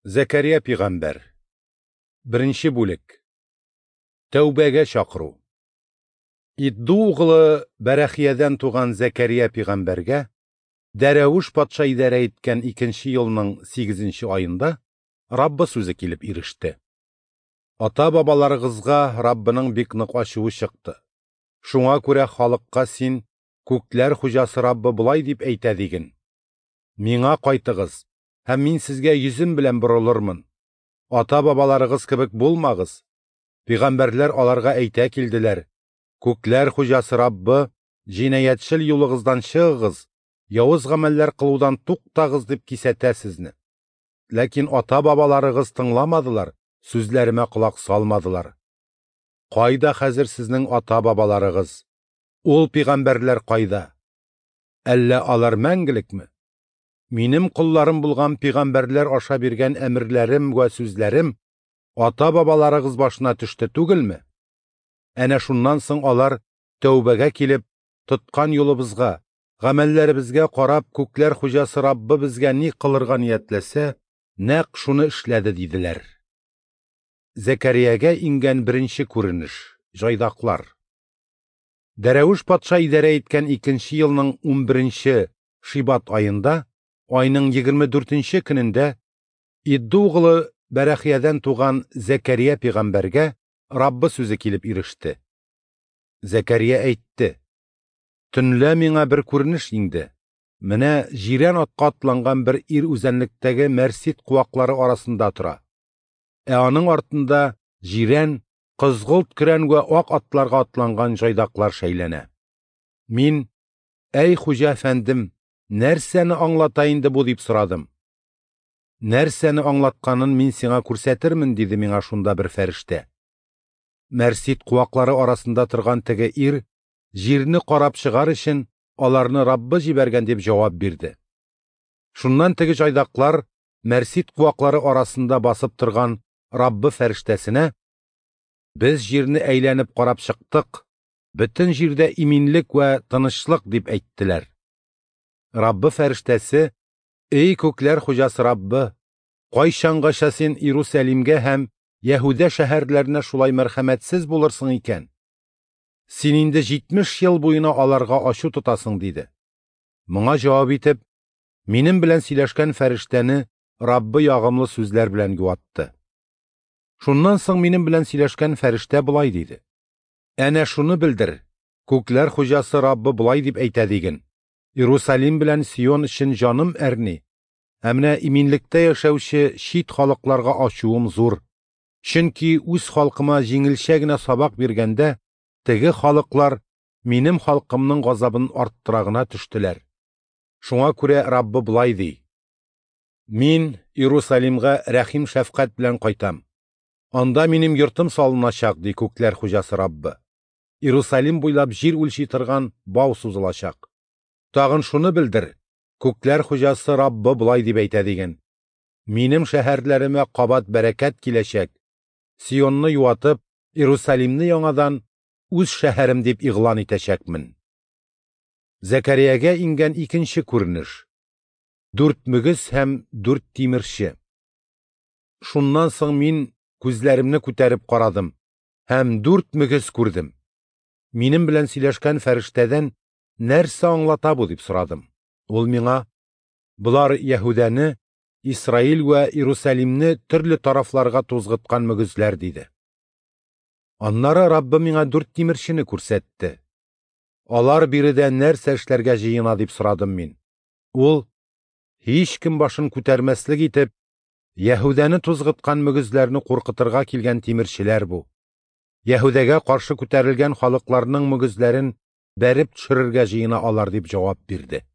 Зәкәрия пигамбәр. Беренче бүлек. Тәүбәгә чакыру. Идду углы Бәрәхиядән туган Зәкәрия пигамбәргә Дәрәвеш патша идарә иткән икенче елның 8 аенда Раббы сүзе килеп иреште. Ата-бабаларыгызга Раббының бик нык ачуы чыкты. Шуңа күрә халыкка син күкләр хуҗасы Раббы болай дип әйтә диген: Миңа кайтыгыз, һәм мин сезгә йөзем белән борылырмын. Ата-бабаларыгыз кебек булмагыз. Пигамбәрләр аларга әйтә килделәр: Күкләр хуҗасы Раббы, җинаятьчел юлыгыздан чыгыгыз, явыз гамәлләр кылудан туктагыз дип кисәтә сезне. Ләкин ата-бабаларыгыз тыңламадылар, сүзләремә колак салмадылар. Кайда хәзер сезнең ата-бабаларыгыз? Ул пигамбәрләр кайда? Әллә алар мәңгелекме? Минем колларым булган пигамбәрләр аша биргән әмерләрем вә сүзләрем ата-бабаларыгыз башына төште түгелме? Әнә шуннан соң алар тәүбәгә килеп, тоткан юлыбызга, гамәлләребезгә карап, күкләр хуҗасы Раббы безгә ни кылырга ниятләсә, нәкъ шуны эшләде диделәр. Зәкәриягә иңгән беренче күренеш җайдаклар. Дәрәвеш патша идарә иткән икенче елның 11 Шибат аенда, айның 24 көнендә Идду углы Бәрәхиядән туган Зәкәрия пигамбәргә Раббы сүзе килеп иреште. Зәкәрия әйтте: Төнлә миңа бер күренеш иңде. Менә җирән атка атланган бер ир үзәнлектәге мәрсит куаклары арасында тора. Ә аның артында җирән, кызгылт көрән вә ак атларга атланган җайдаклар шәйләнә. Мин: "Әй хуҗа әфәндем, нәрсәне аңлата инде бу?" дип сорадым. Нәрсәне аңлатканын мин сиңа күрсәтермен, диде миңа шунда бер фәрештә. Мәрсит куаклары арасында торган теге ир җирне карап чыгар өчен аларны Раббы җибәргән дип җавап бирде. Шуннан теге җайдаклар мәрсит куаклары арасында басып торган Раббы фәрештәсенә: "Без җирне әйләнеп карап чыктык, бөтен җирдә иминлек вә тынычлык", дип әйттеләр. Раббы фәрештәсе: "Эй күкләр хуҗасы Раббы, кайчангача син Иерусалимгә һәм Яһүдә шәһәрләренә шулай мәрхәмәтсез булырсың икән? Син инде 70 ел буена аларга ачу тотасың", диде. Моңа җавап итеп, минем белән сөйләшкән фәрештәне Раббы ягымлы сүзләр белән юатты. Шуннан соң минем белән сөйләшкән фәрештә болай диде: "Әнә шуны белдер, күкләр хуҗасы Раббы болай дип әйтә диген: Иерусалим белән Сион өчен җаным әрни, ә менә иминлектә яшәүче чит халыкларга ачуым зур. Чөнки үз халкыма җиңелчә генә сабак биргәндә, теге халыклар минем халкымның газабын арттыра гына төштеләр. Шуңа күрә Раббы болай ди: Мин Иерусалимгә рәхим шәфкать белән кайтам. Анда минем йортым салыначак, ди күкләр хуҗасы Раббы. Иерусалим буйлап җир үлчи торган бау сузылачак. Тагын шуны белдер, күкләр хуҗасы Раббы болай дип әйтә диген: Минем шәһәрләремә кабат бәрәкәт киләчәк. Сионны юатып, Иерусалимны яңадан үз шәһәрем дип игълан итәчәкмен. Зәкәриягә иңгән икенче күренеш. 4 мөгез һәм 4 тимерче. Шуннан соң мин күзләремне күтәреп карадым һәм 4 мөгез күрдем. Минем белән сөйләшкән фәрештәдән нәрсә аңлата бу дип сорадым. Ул миңа: "Болар Яһүдәне, Исраил вә Иерусалимне төрле тарафларга тузгыткан мөгезләр", диде. Аннары Раббы миңа 4 тимерчене күрсәтте. Алар биредә нәрсә эшләргә җыена дип сорадым мин. Ул: "Һич кем башын күтәрмәслек итеп, Яһүдәне тузгыткан мөгезләрне куркытырга килгән тимерчеләр бу. Яһүдәгә каршы күтәрелгән халыкларның мөгезләрен бәреп төшерергә җыена алар", дип җавап бирде.